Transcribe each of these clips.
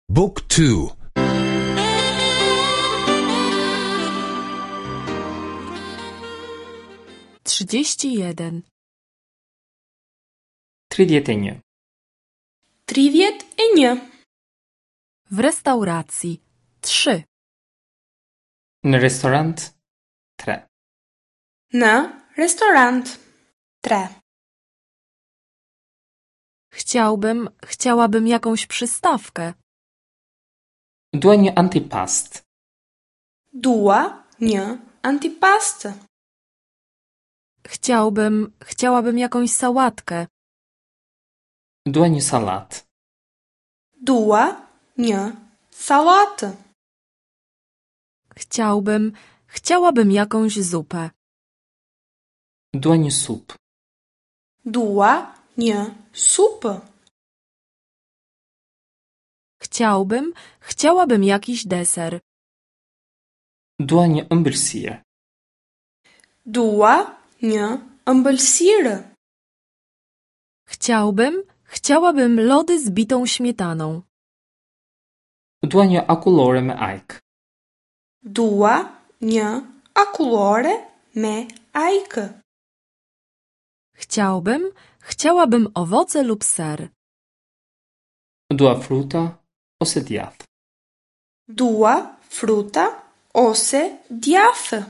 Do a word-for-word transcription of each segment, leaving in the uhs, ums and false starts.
Book two. Trzydzieści jeden. Tridhjetë e një. Tridhjetë e një. W restauracji. Trzy. Në restorant tre. Në restorant tre. Chciałbym, chciałabym jakąś przystawkę. Dua një antipast. Dua një antipast. Chciałbym, chciałabym jakąś sałatkę. Dua një sallatë. Dua një sallatë. Chciałbym, chciałabym jakąś zupę. Dua një supë. Dua një supë. Chciałbym, chciałabym jakiś deser. Dua një ëmbëlsirë. Dua një ëmbëlsirë. Chciałbym, chciałabym lody z bitą śmietaną. Dua një akullore me ajkë. Dua një akullore me ajkë. Chciałbym, chciałabym owoce lub ser. Dua fruta ose djathë. Dua fruta ose djathë.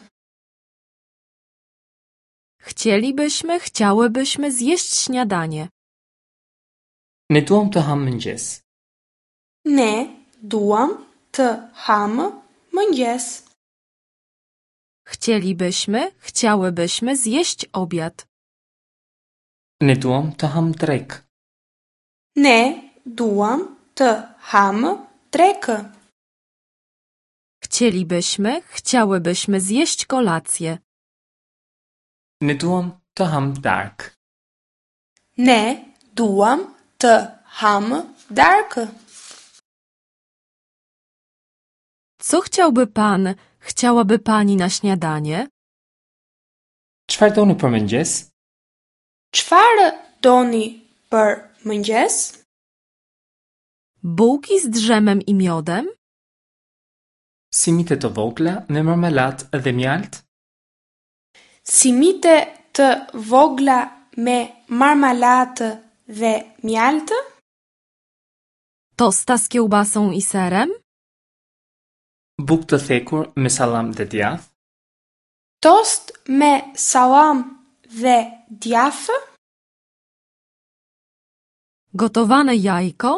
Chcielibyśmy, chciałybyśmy zjeść śniadanie. Ne duam të hamë mëngjes. Ne duam të hamë mëngjes. Chcielibyśmy, chciałybyśmy zjeść obiad. Ne duam të hamë drekë. Ne duam të hamë drekë. Chcielibyśmy, chciałybyśmy zjeść kolację. Ne duam të hamë darkë. Ne duam të hamë darkë. Co chciałby pan, chciałaby pani na śniadanie? Çfarë doni për mëngjes? Çfarë doni për mëngjes? Bułki z dżemem i miodem? Simite të vogla me marmelatë dhe mjaltë? Simite të vogla me marmelatë dhe mjaltë? Tosta z kiełbasą i serem? Bukë të thekur me sallam dhe djathë? Tost me sallam dhe djathë? Gotowane jajko?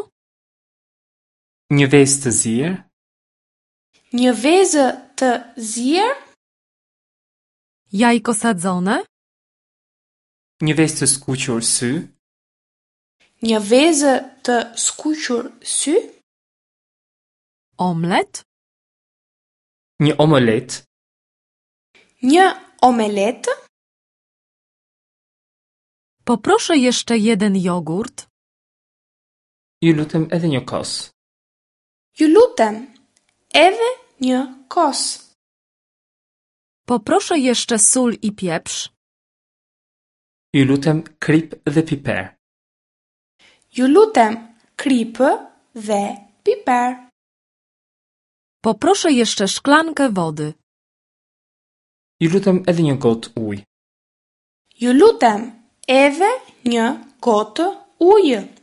Një vezë të zier? Një vezë të zier? Jajko sadzone? Një vezë të skuqur sy? Një vezë të skuqur sy? Omlet? Një omelet? Një omelet? Poproszę jeszcze jeden jogurt. Ju lutem edhe një kos. Ju lutem, edhe një kos. Poproszę jeszcze sól i pieprz. Ju lutem krip dhe piper. Ju lutem, kripë dhe piper. Poproszę jeszcze szklankę wody. Ju lutem edhe një gotë ujë. Ju lutem, edhe një gotë ujë.